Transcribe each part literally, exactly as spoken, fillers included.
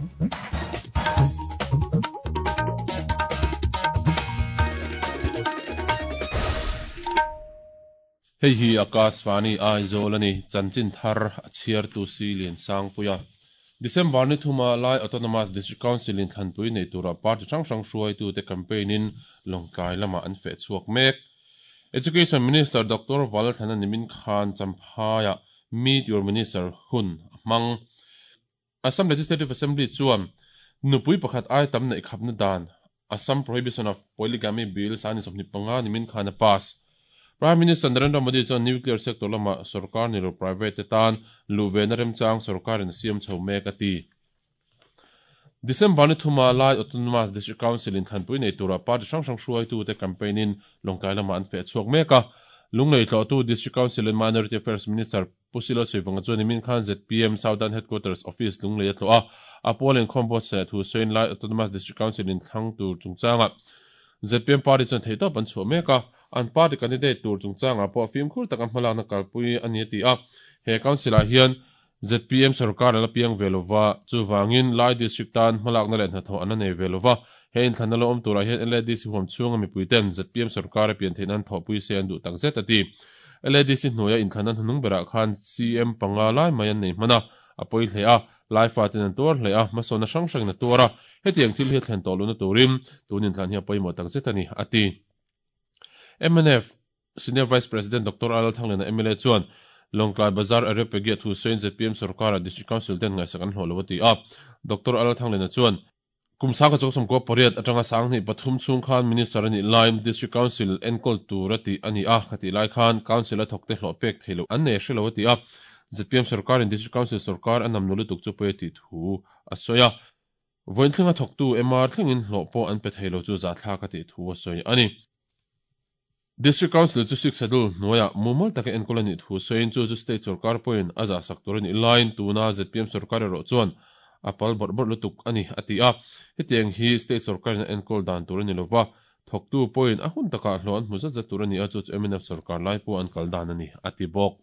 Hei hi Akashvani Aizawl ani chanchin thar a chhiar tu si lian sang puia December ni thuma Lai Autonomous District Council in thlanpui nei tura party hrang hrang hruai tu te campaign in Lawngtlai lama an feh chhuak mek. Education Minister Doctor Valthlana Nimin Khan Champhaiah Meet Your Minister hun a hmang. Assam Legislative Assembly chuan nupui pakhat ai tam neih khapna dan Assam Prohibition of Polygamy Bill sangni sawmhnih panga Nimin Khan a pass. Prime Minister Narendra Modi chuan nuclear sector lama sarkar ni lo private te tan luhvena remchang sarkarin a siam chho mek a ti. December ni thuma Lai Autonomous District Council in thlanpui nei tura party hrang hrang hruaitu te campaign in Lawngtlai lama an feh chhuak mek a. Lunglei tlawhtu District Council and Minority Affairs Minister Pu Silo Suivanga chuan nimin khan Z P M Southern Headquarters Office Lunglei a tlawh a. A pawl inkhawm buatsaih thu sawiin Lai Autonomous District Council in thlang tur chungchanga Z P M party chuan theihtawp an chhuah mek a. An party candidate tur chungchangah pawh fimkhur taka hmalakna kalpui a ni a ti a. He council ah hian Z P M sarkar a la piang ve lova, chuvangin Lai District tan hmalakna leh hnathawh an la nei ve lova. He inthlanna lo awm turah hian L A D C huam chhunga mipui ten Z P M sarkar a pian theih nan thawhpui se an duh tak zet a ti. L A D C hnuaia inthlanna hnuhnung berah khan C M panga lai mai an nei hman a, a pawi hle a, Lai faten an tuar hle a, hmasawnna hrang hrangin a tuar a, hetiang thil hi a thlen tawh lohna turin tun inthlan hi a pawimawh tak zet a ni, a ti. M N F Senior Vice President Doctor Lal Thanglena M L A chuan Lawngtlai Bazar area Pegia thu sawiin Z P M sarkara District Council ten ngaihsak an hlawh lo a ti a. Doctor Lal Thanglena chuan, Kum sangkhat chawksawmkua pariat atanga sanghnih pathum chhung khan Minister a nih lai District Council enkawl tur a tih a ni a, khatih lai khan Council a thawkte hlawh pek thei loh an nei hre lo a ti a. Z P M sarkarin District Council sarkar a namnu lutuk chu pawi a tih thu a sawi a. Vawiin thlenga thawktu M R thlengin hlawh pawh an pe thei lo chu zahthlak a tih thu a sawi a ni. District Council chu Sixth Schedule hnuaiah mumal taka enkawl a nih thu sawiin chu chu State sarkar pawhin a zahsak tur a nih laiin tuna Z P M sarkar erawh chuan a pal bawrh bawrh lutuk a ni a ti a. Hetiang hi State sarkarin a enkawl dan tur a ni lova, thawktu pawhin a hun takah hlawh an hmu zat zat tur a ni a, chu chu M N F sarkar lai pawh an kal dan a ni a ti bawk.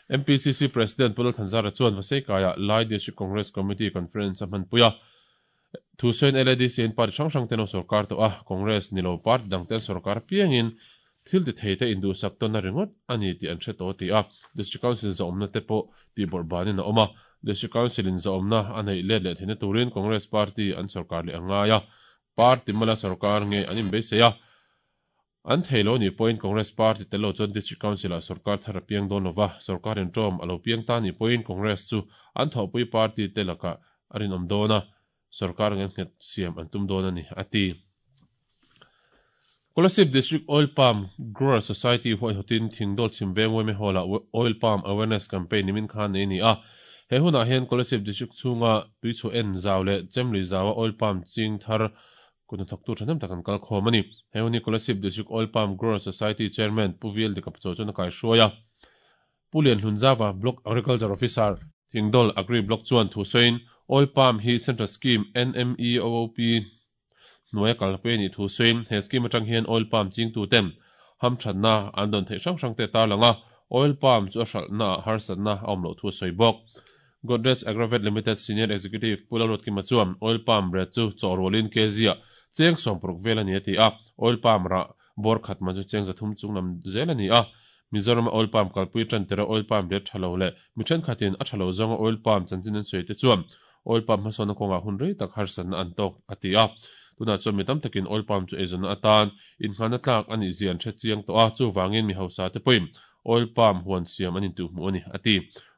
M P C C President Pu Lalthanzara chuan Vaseikaiah Lai District Congress Committee Conference a hmanpui a. Thu sawiin L A D C in party hrang hrang ten an sarkar tawh a, Congress ni lo party dang ten sarkar piangin thil ti thei te induhsak tawnna ringawt a ni tih an hre tawh a ti a. District Council zawmna te pawh tihbawrh banin a awm a, District Council in zawmna a neih let leh theihna turin Congress party an sarkar leh a ngai a, party mala sarkar nge an inbeisei a. An thei lo nih pawhin Congress party tel lo chuan District Council ah sarkar thar a piang dawn lova, sarkar intawm a lo piang ta nih pawhin Congress chu an thawhpui party te lakah a rinawm dawn a, sarkar nge nghet siam an tum dawn a ni, a ti. Kolasib District Oil Palm Grower Society huaihawtin Thingdawl Chhimveng Weme Hall-ah Oil Palm Awareness Campaign nimin khan nei a ni a. He hunah hian Kolasib District chhunga tuichhuah en zau leh chemlui zaua oil palm ching thar kut hnathawktu thahnem tak an kal khawm a ni. He hun hi Kolasib District Oil Palm Grower Society Chairman Pu V L Dikapchaw chuan a kaihruai a. Pu Lianhlunzava, Block Agriculture Officer, Thingdawl Agri Block chuan thu sawiin Oil Palm hi Central Scheme N M E O O P hnuaia kalpui a nih thu sawiin he scheme atang hian oil palm chingtuten hamthatna an dawn theih hrang hrang te tarlang a, oil palm chu a hralhna ah harsatna a awm loh thu a sawi bawk. Godrej Agrovet Limited Senior Executive Pu Lalruatkima chuan oil palm ret chu chawhrualin kg ah cheng sawm paruk vel a ni a ti a, oil palm rah bawr khat man chu cheng zathum chung lam zel a ni a. Mizoram a oil palm kalpui tan tera oil palm ret tha lo leh mi thenkhatin a tha lo zawnga oil palm chanchin an sawi te chuan oil palm hmasawnna kawngah hun rei tak harsatna an tawk a ti a. Tunah chuan mi tam takin oil palm chu eizawnna atan innghanna tlak a nih zia an hre chiang tawh a, chuvangin mi hausa te pawhin oil palm huan siam an intuhhmuh a ni a ti.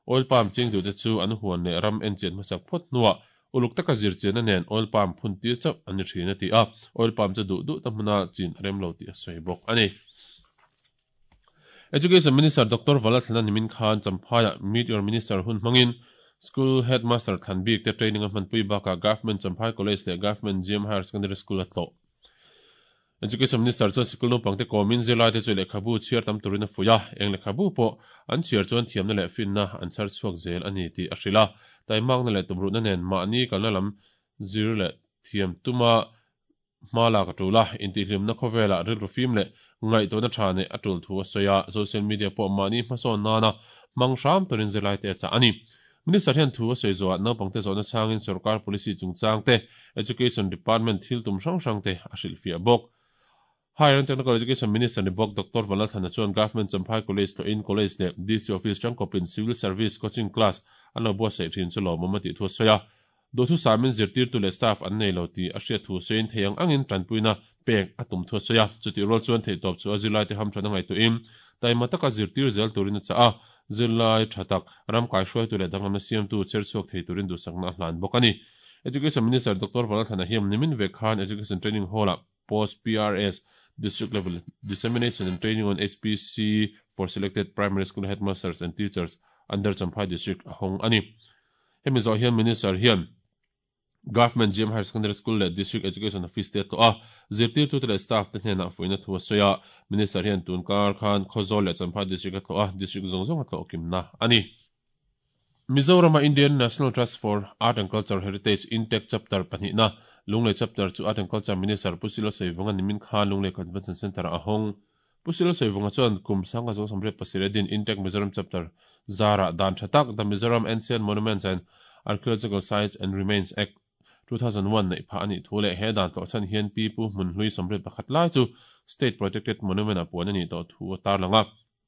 Oil palm ching duhte chu an huan leh ram enchian hmasak phawt hnuah uluk taka zirchianna nen oil palm phun tir chauh an ni thin a ti a, oil palm chu duh duh ta hmuna chin a rem lo tih a sawi bawk a ni. Education Minister Doctor Valathlana nimin khan Champhaiah Meet Your Minister hun hmangin School Headmaster thlan bik te training a hmanpui bakah Government Champhai College leh Government G M Higher Secondary School a tlawh. Education Minister chuan sikul naupangte kawmin zirlaite chu lehkhabu chhiar tam turin a fuih a, eng lehkhabu pawh an chhiar chuan thiamna leh finna an chhar chhuak zel a ni tih a hrilh a. Taimakna leh tumruhna nen mahni kalna lam zir leh thiam tuma hma lak a tul a, intihhlimna khawvelah rilru fim leh ngaihtuahna tha neih a tul thu a sawi a, social media pawh mahni hmasawn nana hmang hram turin zirlaite a chah a ni. Minister hian thu a sawi zawhah naupangte zawhna chhangin sorkar policy chungchang te, Education Department thil tum hrang hrang te a hrilhfiah bawk. Higher and Technical Education Minister ni bawk Doctor Vanlalthlana chuan Government Champhai College tlawhin College leh D C Office tangkawpin Civil Service Coaching Class an lo buatsaih thin chu lawmawm a tih thu a sawi a. Duhthusamin zirtirtu leh staff an nei lo tih a hriat thu sawiin thei ang angin tanpuina pek a tum thu a sawi a. Chutih rual chuan theihtawp chu a zirlaite hamthan a ngaihtuahin taima taka zirtir zel turin a chah a. Zirlai tha tak, ram kaihruaitu leh danglamna siamtu cher chhuak thei turin duhsakna a hlan bawk a ni. Education Minister Doctor Vanlalthlana hian nimin vek khan Education Training Hall-ah Post P R S District Level Dissemination and Training on H P C for Selected Primary School Headmasters and Teachers under Champhai District a hawng a ni. Hemi zawh hian Minister hian Government G M Higher Secondary School leh District Education Office te a tlawh a, zirtirtute leh staff te hnenah fuihna thu a sawi a. Minister hian tun kar khan Khawzawl leh Champhai District a tlawh a, District zawng zawng a tlawh kimna a ni. Mizorama Indian National Trust for Art and Culture Heritage INTACH Chapter pahnihna Lunglei Chapter chu Art and Culture Minister Pu Silo Saivunga nimin khan Lunglei Convention Centre-ah a hawng. Pu Silo Saivunga chuan kum sanga zawng sawmriat pasarih a din INTACH Mizoram Chapter zarah dan tha tak The Mizoram Ancient Monuments and Archaeological Sites and Remains Act two thousand one neih phah a nih thu leh he dan tlawhchhan hian pi pu hmun hlui sawmriat pakhat lai chu State Protected Monument-ah puan a nih tawh thu a tarlang a.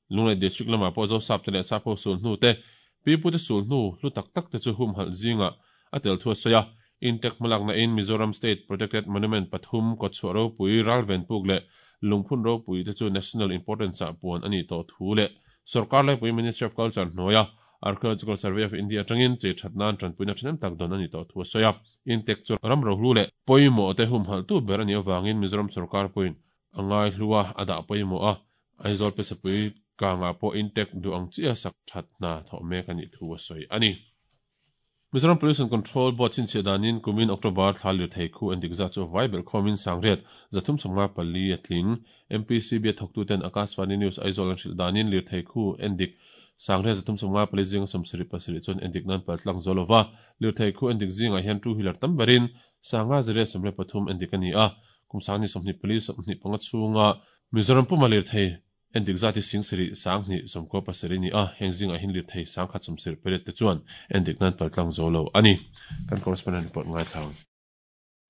Lunglei District lamah pawh Zosap te leh Sapho sul hnu te, pi pu te sul hnu hlu tak tak te chu humhalh zingah a tel thu a sawi a. INTACH hmalakna in Mizoram State Protected Monument pathum Kawtchhuah ropui, Ralven puk leh Lungphun ropui te chu National Importance-ah puan a nih tawh thu leh Sorkar laipui Ministry of Culture hnuaia Archaeological Survey of India atangin chei that nan tanpuina thahnem tak dawn a nih tawh thu a sawi a. INTACH chu ram rohlu leh pawimawh te humhalh tu ber a nih avangin Mizoram sorkar pawhin a ngai hlua a dah pawimawh a, Aizawl Pesapui kangah pawh INTACH duh ang chiah sak that hna thawh mek a nih thu a sawi a ni. Mizoram Pollution Control Board chhinchhiah danin kumin October thla lirthei khu endik zat chu vai belh khawmin sangriat zathum sawmnga pali a tling. M P C B a thawktuten Akashvani News Aizawl an hrilh danin lirthei khu endik sangriat zathum sawmnga pali zinga sawmsarih pasarih chuan endik nan paltlang zo lova. Lirthei khu endik zingah hian two wheeler tam berin sanga zariat sawmriat pathum endik a ni a. Kum sangni sawmhnih pali sawmhnih panga chhunga Mizoram puma lirthei endik zati sing sarih sanghnih sawmkaw pasarih ni a, heng zingah hian lirthei sangkhat sawmsarih pariat te chuan endik nan paltlang zo lo a ni. Kan correspondent report ngai thlang.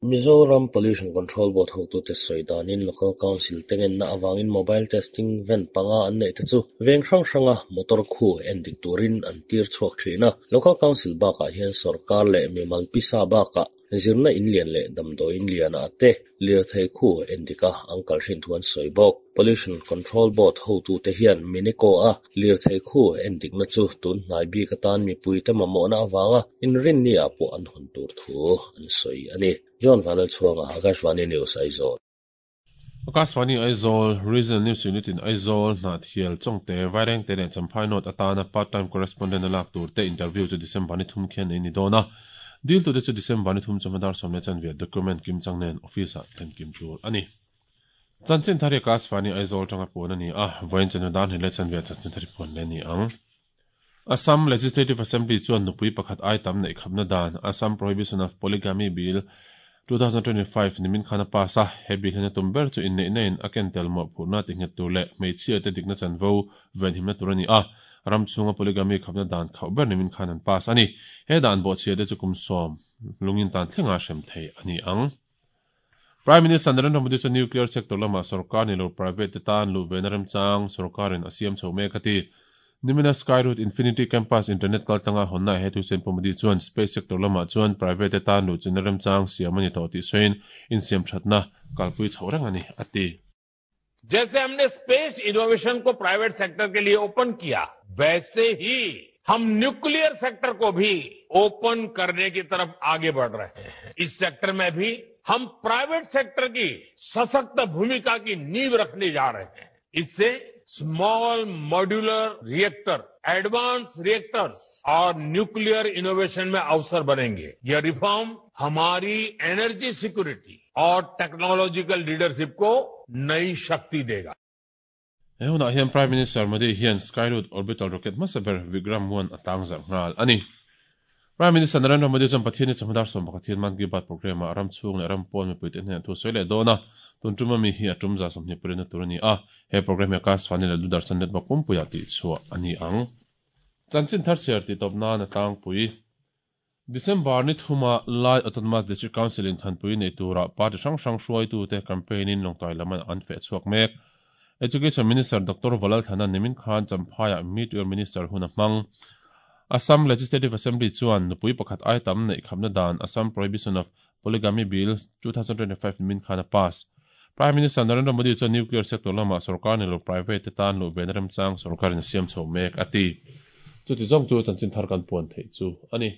Mizoram Pollution Control Board hotute sawi danin Local Council tengenna awangin mobile testing van panga an nei te chu veng hrang hranga motor khu endik turin an tir chhuak thin a. Local Council bakah hian sarkar leh mimal pisa bakah zirna in lian leh damdawi in lian ah te lirthei khu endika an kal hrin thu an sawi bawk. Pollution Control Board hotute hian Minico a lirthei khu endikna chu tun hnai bik atan mipui te mamawhna awanga inrin ni ah pawh an hawn tur thu an sawi a ni. John Vanlalchhuanga, Akashvani News, Aizawl. Akashvani Aizawl Regional News Unit in Aizawl Hnahthial Chawngte Vairengte leh Champhai North atana part time correspondent a lak tur te interview chu December ni thum khian nei ni dawn a. Dil tute chu December ni thum chawhma dar sawm leh chanve document kim chang nen office ah thlen kim tur a ni. Chanchin thar hi Akashvani Aizawl tanga puan a ni a, vawiin chawhnu dar hnih leh chanve chanchin thar hi puan leh ni ang. Assam Legislative Assembly chuan nupui pakhat ai tam neih khapna dan Assam Prohibition of Polygamy Bill twenty twenty-five nimin khan a pass a. He bill hian a tum ber chu inneih na in a ken tel mawhphurhna ti nghet tur leh hmeichhia te dikna chanvo ven himna tur a ni a. Ram chhunga polygamy khapna dan khauh ber nimin khan an pass a ni. He dan bawhchhia te chu kum sawm lungin tan thlenga hrem thei a ni ang. Prime Minister Narendra Modi chu nuclear sector lama sarkar ni lo private te tan lu ve na remchang sarkarin a siam chho mek a ti. Nimina Skyroot Infinity Campus internet kaltlanga honna he thu sawiin Pu Modi chuan space sector lamah chuan private te tan lu chin remchang siam ani tawh tih sawiin insiam thatna kalpui chho reng ani a ti. जैसे हमने space innovation को private sector के लिए open किया, वैसे ही हम nuclear sector को भी ओपन करने की तरफ आगे बढ़ रहे हैं। इस सेक्टर में भी हम प्राइवेट सेक्टर की सशक्त भूमिका की नींव रखने जा रहे हैं। इससे small modular reactor, advance reactors और न्यूक्लियर इनोवेशन में अवसर बनेंगे। यह रिफॉर्म हमारी एनर्जी सिक्योरिटी और टेक्नोलॉजिकल लीडरशिप को नई शक्ति देगा। He hunah hian Prime Minister Modi hian Skyroot orbital rocket hmasa ber Vikram one a tang zarh nghal a ni. Prime Minister Narendra Modi chuan Pathian ni chawhma dar sawm pakhat hian Mann Ki Baat programme ah ram chhung leh ram pawn mipui te hnenah thu sawi leh dawn a. Tun tum ami hi a tum za sawmhnih pariatna tur a ni a. He programme hi Akashvani leh Doordarshan network pumpuiah tih chhuah a ni ang. Chanchin thar chhiar tih tawp nan a tlangpui. December ni thuma Lai Autonomous District Council in thlanpui nei tura party hrang hrang hruaitute campaign in Lawngtlai lam an feh chhuak mek. Education Minister Doctor Vanlalthlana nimin khan Champhaiah Meet Your Minister hun a hmang. Assam Legislative Assembly chuan nupui pakhat ai tam neih khamna dan Assam Prohibition of Polygamy Bill two thousand twenty-five nimin khan a pass. Prime Minister Narendra Modi chuan nuclear sector lama sorkar ni lo private te tan luh ve na remchang sorkarin a siam chho mek a ti. Chuti zawng chu chanchin thar kan puan theih chu a ni.